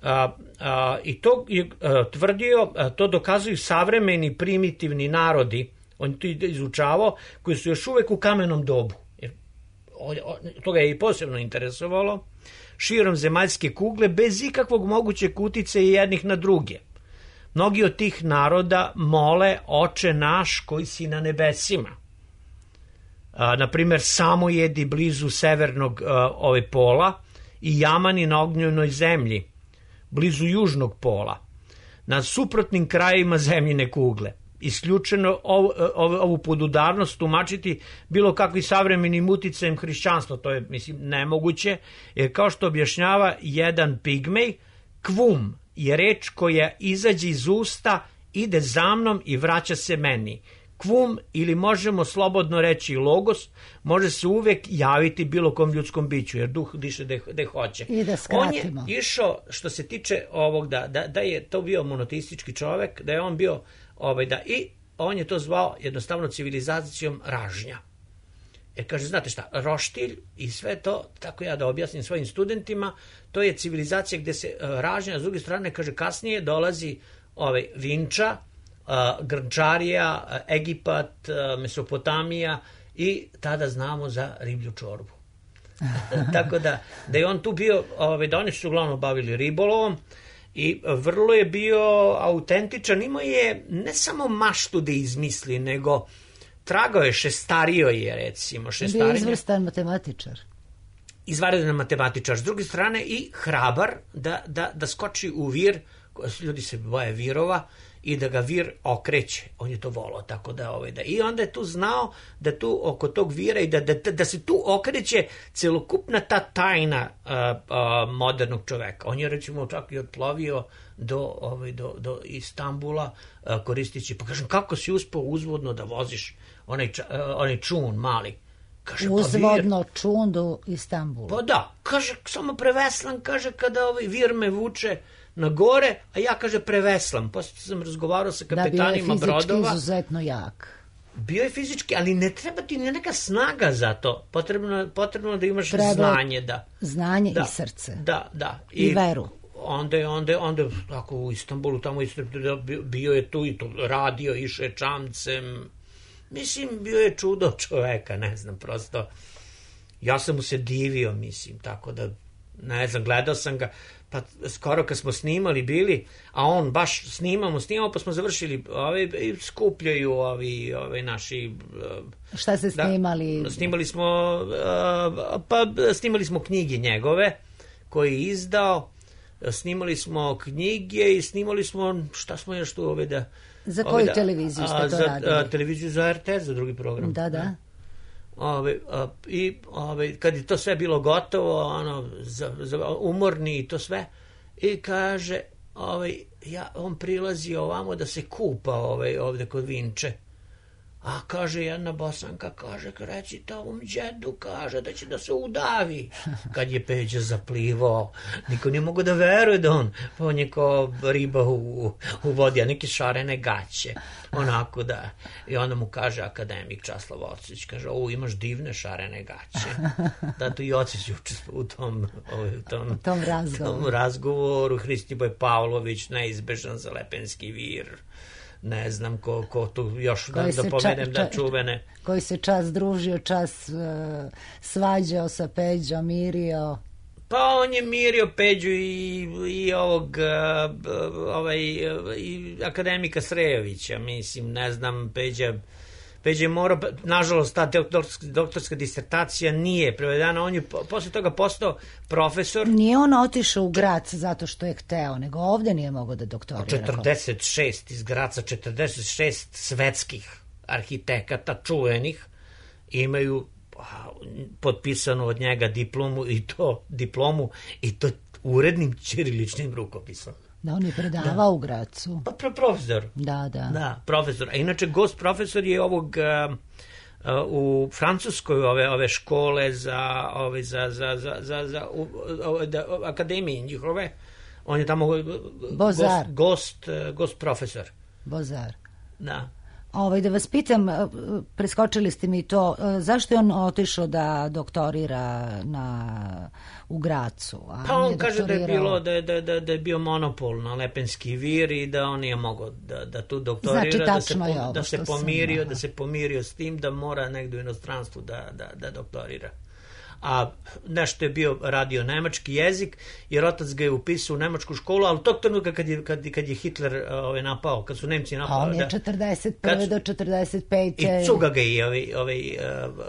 A, a, i to je a, tvrdio, a, to dokazuju savremeni primitivni narodi, on to izučavao, koji su još uvek u kamenom dobu. Jer, o, o, to ga je i posebno interesovalo, širom zemaljske kugle, bez ikakvog mogućeg uticaja jednih na druge. Mnogi od tih naroda mole Oče naš koji si na nebesima. A, na primjer, Samojedi blizu severnog a, ove pola i Jamani na ognjenoj zemlji, blizu južnog pola, na suprotnim krajevima zemljine kugle. Isključeno ovu, ovu, ovu podudarnost tumačiti bilo kakvim savremenim uticajem hrišćanstva, to je, mislim, nemoguće, jer kao što objašnjava jedan pigmej, kvum je reč koja izađe iz usta, ide za mnom i vraća se meni. Kvum, ili možemo slobodno reći logos, može se uvek javiti bilo kom ljudskom biću, jer duh diše da de hoće. I da skratimo. On je išao, što se tiče ovog, da, da, da je to bio monoteistički čovek, da je on bio ovaj, da, i on je to zvao jednostavno civilizacijom ražnja. Jer kaže, znate šta, roštilj i sve to, tako ja da objasnim svojim studentima, to je civilizacija gde se uh, ražnja, a s druge strane, kaže, kasnije dolazi ovaj, Vinča, uh, Grnčarija, uh, Egipat, uh, Mesopotamija i tada znamo za riblju čorbu. Tako da, da je on tu bio, ovaj, da oni su uglavnom bavili ribolovom, i vrlo je bio autentičan, imao je ne samo maštu da izmisli, nego tragao je, šestario je, recimo. Bio je izvrstan matematičar. Izvanredan matematičar. S druge strane i hrabar da, da, da skoči u vir ljudi se boje virova i da ga vir okreće. On je to volao, tako da, ovaj, da... I onda je tu znao da tu oko tog vira i da, da, da se tu okreće celokupna ta tajna uh, uh, modernog čoveka. On je, recimo, čak i odplovio do, ovaj, do, do Istanbula uh, koristići, pa kažem, kako si uspeo uzvodno da voziš onaj, uh, onaj čun mali? Kaže, uzvodno pa čun do Istanbula. Pa da, kaže, samo preveslam, kaže, kada ovaj vir me vuče na gore, a ja, kaže, preveslam. Posle sam razgovarao sa kapetanima brodova. Da, bio je fizički brodova. Izuzetno jak. Bio je fizički, ali ne treba ti neka snaga za to. Potrebno, potrebno da imaš treba znanje. Da. Znanje da, i srce. Da, da. I, I veru. Onda je, onda je, onda je, tako u Istanbulu, tamo bio je tu i to radio, išao je čamcem. Mislim, bio je čudo čoveka, ne znam, prosto. Ja sam mu se divio, mislim, tako da, ne znam, gledao sam ga, pa skoro kad smo snimali bili, a on baš snimamo, snimamo, pa smo završili, ove, skupljaju ovi, ovi naši... Šta ste snimali? Da, snimali smo, pa snimali smo knjige njegove, koje je izdao, snimali smo knjige i snimali smo, šta smo još tu ove da... Za koju da, televiziju ste to za, radili? A, televiziju za R T S, za drugi program. Da, da. Ove, a, I ove, kad je to sve bilo gotovo, ono, za, za, umorni i to sve, i kaže, ove, ja, on prilazi ovamo da se kupa ove, ovde kod Vinče. A kaže jedna Bosanka, kaže, reći tom džedu, kaže da će da se udavi. Kad je Peđa zaplivao, niko nije mogo da veruje da on, pa on je kao riba u, u vodi, a neke šarene gaće. Onako da, i onda mu kaže akademik Časlav Ocić, kaže, o, imaš divne šarene gaće. Da, to i Ocić učestvuje u tom, u tom, u tom razgovoru. Tom razgovoru. Hristiboj Pavlović, neizbežan za Lepenski vir. Ne znam ko, ko tu još da, da pomenem da čuvene. Koji se čas družio, čas uh, svađao sa Peđom, mirio. Pa on je mirio Peđu i, i ovog uh, ovaj, i akademika Srejovića, mislim, ne znam, Peđa Peđa je morao, nažalost, ta doktorska, doktorska disertacija nije prevedena, on je posle toga postao profesor. Nije on otišao u Grac zato što je hteo, nego ovde nije mogao da doktorira. četrdeset šest iz Graca, četrdeset šest svetskih arhitekata čuvenih imaju potpisanu od njega diplomu i to diplomu i to urednim ćiriličnim rukopisom. Da, on je predavao da. U Gracu. Pa pro, profesor. Da, da. Da, profesor. A inače, gost profesor je ovog uh, uh, u Francuskoj ove ove škole za ove za za za za, za u, ove, da, akademije njihove. On je tamo gost gost, gost profesor. Bozar. Da. Ovaj, da vas pitam, preskočili ste mi to, zašto je on otišao da doktorira na, u Gracu? A pa on kaže doktorirao... da je bilo, da, da, da, da je bio monopol na Lepenski vir i da on nije mogao da, da tu doktorira, znači, da, se, ovo, da, se pomirio, sam, da se pomirio s tim da mora negdje u inostranstvu da, da, da doktorira. A nešto je bio radio nemački jezik, jer otac ga je upisao u nemačku školu, ali tog trenutka kad je, kad, kad je Hitler ovaj, napao, kad su Nemci napao... A on je četrdeset prve do četrdeset pete I Cuga ga je ovaj, ovaj,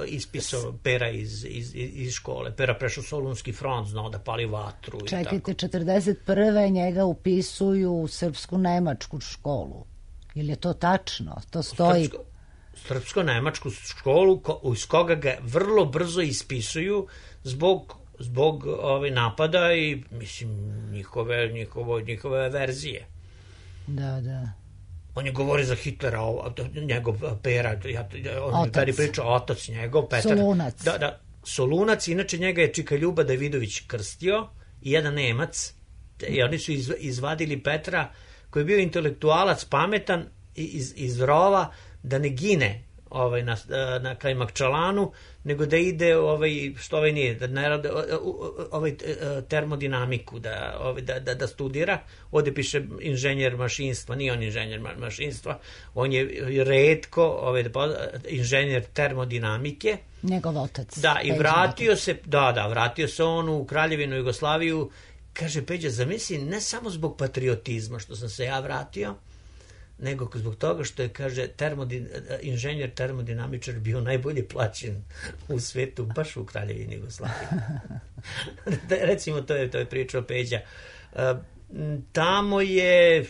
ispisao Pera iz, iz, iz škole. Pera prešao Solunski front, znao da pali vatru. Čekajte, i tako. četrdeset prve njega upisuju u srpsku-nemačku školu. Je je to tačno? To stoji... Srpsko... srpsko-nemačku školu iz koga ga vrlo brzo ispisuju zbog, zbog ove napada i mislim njihove, njihove, njihove verzije. Da, da. On je govorio za Hitlera, njegov Pera, ja, on je pričao, otac njegov, Petar. Solunac. Da, da, Solunac, inače njega je Čika Ljuba Davidović krstio i jedan Nemac i oni su iz, izvadili Petra koji je bio intelektualac, pametan iz, iz rova, da ne gine ovaj, na, na Kajmakčalanu, nego da ide, ovaj, što ovaj nije, da ne rade ovaj, termodinamiku, da, ovaj, da, da, da studira. Ovde piše inženjer mašinstva, nije on inženjer mašinstva, on je retko ovaj, inženjer termodinamike. Njegov otac. Da, i vratio se, da, da, vratio se on u Kraljevinu Jugoslaviju, kaže Peđa, zamisli, ne samo zbog patriotizma što sam se ja vratio, nego zbog toga što je, kaže, termodin, inženjer termodinamičar bio najbolje plaćen u svetu, baš u Kraljevini Jugoslaviji. Recimo, to je, to je pričao Peđa. Uh, tamo je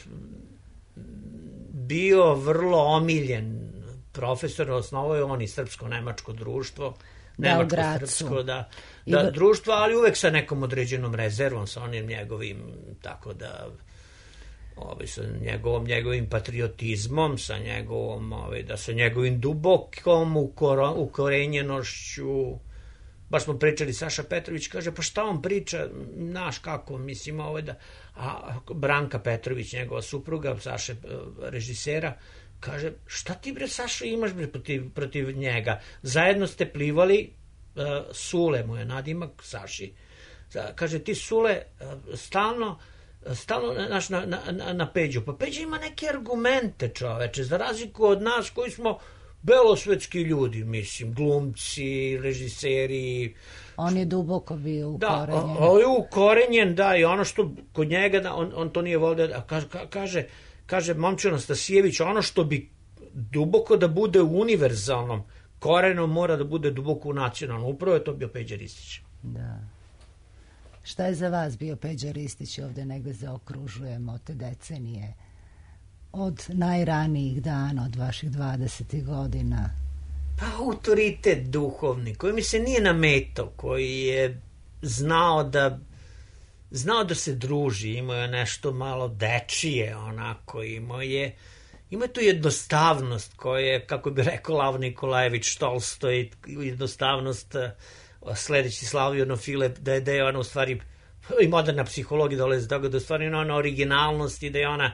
bio vrlo omiljen profesor, osnovao je on i srpsko-nemačko društvo, nemačko-srpsko, da, da društvo, ali uvek sa nekom određenom rezervom, sa onim njegovim, tako da, ovaj, sa njegovom, njegovim patriotizmom, sa njegovom, ovaj, da sa njegovim dubokom ukoro, ukorenjenošću. Baš smo pričali, Saša Petrović kaže, pa šta on priča, naš kako, mislim, ovaj da, a Branka Petrović, njegova supruga, Saše režisera, kaže, šta ti bre Saša imaš bre protiv, protiv njega? Zajedno ste plivali, uh, Sule mu je nadimak, Saši. Kaže, ti Sule uh, stalno, stalno naš, na, na, na Peđu. Pa Peđa ima neke argumente, čoveče, za razliku od nas koji smo belosvetski ljudi, mislim, glumci, režiseri. On je duboko bio ukorenjen. Da, on je ukorenjen, da, i ono što kod njega, da, on, on to nije volio, a kaže, kaže kaže Momčilo Anastasijević, ono što bi duboko da bude u univerzalnom korenom mora da bude duboko u nacionalnom. Upravo je to bio Peđa Ristić. Da. Šta je za vas bio Peđa Ristić? Ovde negde zaokružujemo te decenije. Od najranijih dana, od vaših dvadesetih godina. Pa autoritet duhovni, koji mi se nije nametao, koji je znao da znao da se druži, imao je nešto malo dečije, onako, imao je, imao je tu jednostavnost koja je, kako bi rekao Lav Nikolajević Tolstoj, jednostavnost, sledeći Slavio Nofile, da je, da je ona u stvari, i moderna psihologija dolazi do toga, da je u stvari ona originalnost i da je ona,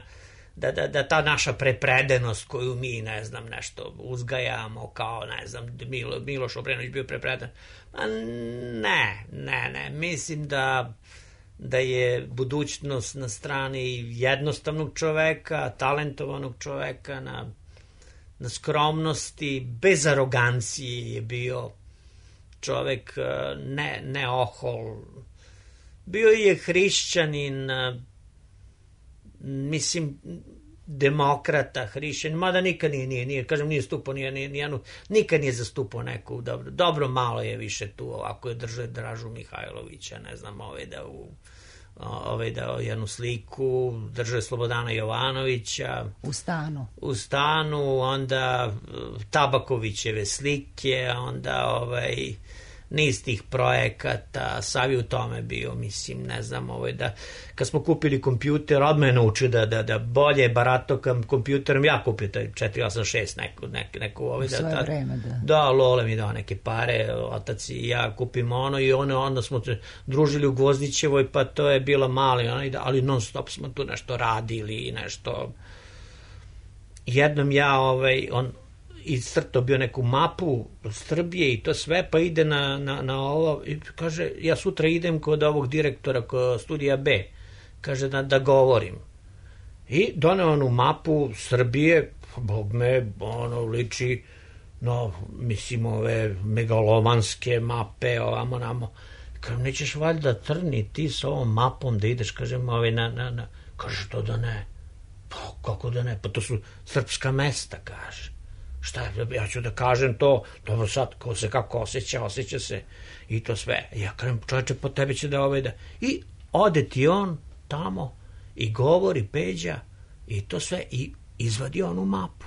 da, da, da ta naša prepredenost koju mi, ne znam, nešto uzgajamo, kao, ne znam, Milo, Miloš Obrenović bio prepreden, a ne, ne, ne, mislim da da je budućnost na strani jednostavnog čoveka, talentovanog čoveka, na, na skromnosti, bez arogancije je bio čovek, ne, ne ohol. Bio je hrišćanin, mislim, demokrata, hrišćanin, mada nikad nije, nije, nije kažem, nije stupao, nije, nije, nije, nikad nije zastupao neku, dobro, dobro malo je više tu, ovako je držao Dražu Mihajlovića, ne znam, ovaj da u ovaj da jednu sliku, držao je Slobodana Jovanovića. U stanu. U stanu, onda Tabakovićeve slike, onda ovaj niz tih projekata, sav je u tome bio, mislim, ne znam, ovaj, da, kad smo kupili kompjuter, odmah je naučio da, da, da bolje barato kompjuterom, ja kupio taj četiri osam šest neku, neku, neku ovaj, u svoje da, vreme, da. Da, Lole mi dao neke pare, otac i ja kupimo ono i ono, onda smo se družili u Gvozdićevoj, pa to je bilo mali, ali non stop smo tu nešto radili i nešto. Jednom ja, ovaj, on, iscrtao bio neku mapu Srbije i to sve, pa ide na, na, na ovo i kaže, ja sutra idem kod ovog direktora kod studija B, kaže da, da govorim. I doneo onu mapu Srbije, bog me, ono liči, no, mislim, ove megalomanske mape, ovamo, namo. Kaže, nećeš valjda Trni ti s ovom mapom da ideš, kažem, ove, na, na, na. Kaže, to da ne. Pa, kako da ne? Pa to su srpska mesta, kaže. Šta, ja ću da kažem to, dobro sad, ko se kako osjeća, osjeća se i to sve. Ja kažem, čovječe, po tebi će da ovaj da... I ode ti on tamo i govori Peđa i to sve i izvadi onu mapu.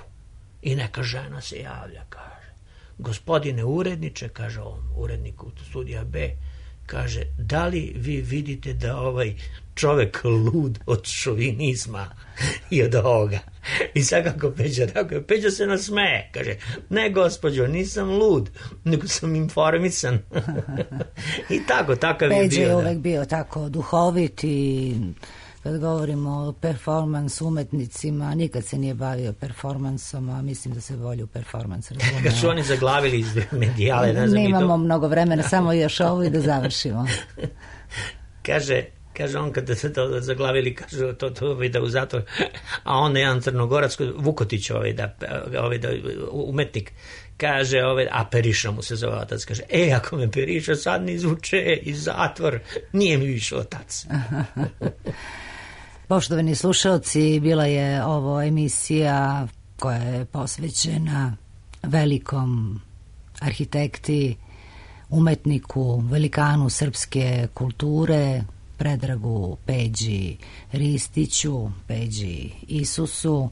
I neka žena se javlja, kaže, gospodine uredniče, kaže on, uredniku studija B, kaže, da li vi vidite da ovaj čovek lud od šovinizma i od ovoga? I sad kako Peđa, tako je, Peđa se nasmeje, kaže, ne gospođo, nisam lud, nego sam informisan. I tako, takav je bio. Peđa je uvek bio tako duhovit i kad govorimo o performans umetnicima, nikad se nije bavio performansom, a mislim da se volju performans razumeo. Kad su oni zaglavili iz medijale, ne znam. Nemamo mnogo vremena, samo još ovo i da završimo. Kaže, kaže on kada se to zaglavili, kaže to, to da u zatvor, a on je jedan Crnogorac, Vukotić, ovaj da, ovaj da, umetnik, kaže, ovaj, a Periša mu se zove otac, kaže, e, ako me Periša sad ne izvuče iz zatvor, nije mi više otac. Poštovani slušalci, bila je ovo emisija koja je posvećena velikom arhitekti, umetniku, velikanu srpske kulture, Predragu Peđi Ristiću, Peđi Isusu,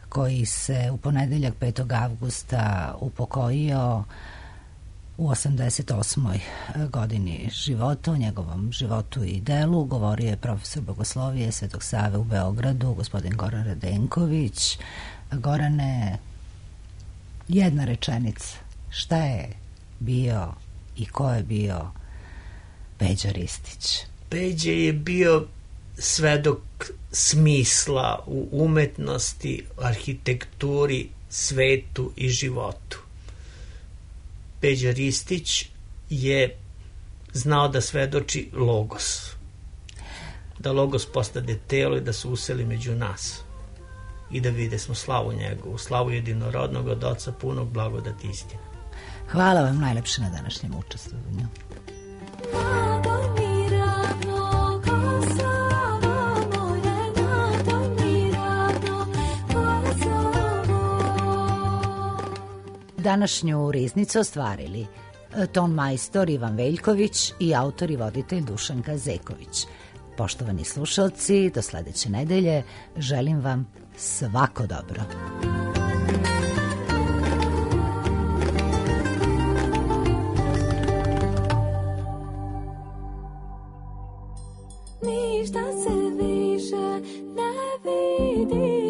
koji se u ponedeljak petog avgusta upokojio u osamdeset osmoj godini života. O njegovom životu i delu govorio je profesor bogoslovije Svetog Save u Beogradu, gospodin Goran Radenković. Gorane, jedna rečenica, šta je bio i ko je bio Peđa Ristić? Peđa je bio svedok smisla u umetnosti, arhitekturi, svetu i životu. Peđa Ristić je znao da svedoči logos. Da logos postade telo i da se useli među nas. I da vide smo slavu njegovu, slavu jedinorodnog od Oca punog blagodati istine. Hvala vam najlepše na današnjem učestvovanju. Današnju riznicu ostvarili ton majstor Ivan Veljković i autor i voditelj Dušanka Zeković. Poštovani slušalci, do sledeće nedelje želim vam svako dobro. Ništa se više ne vidi.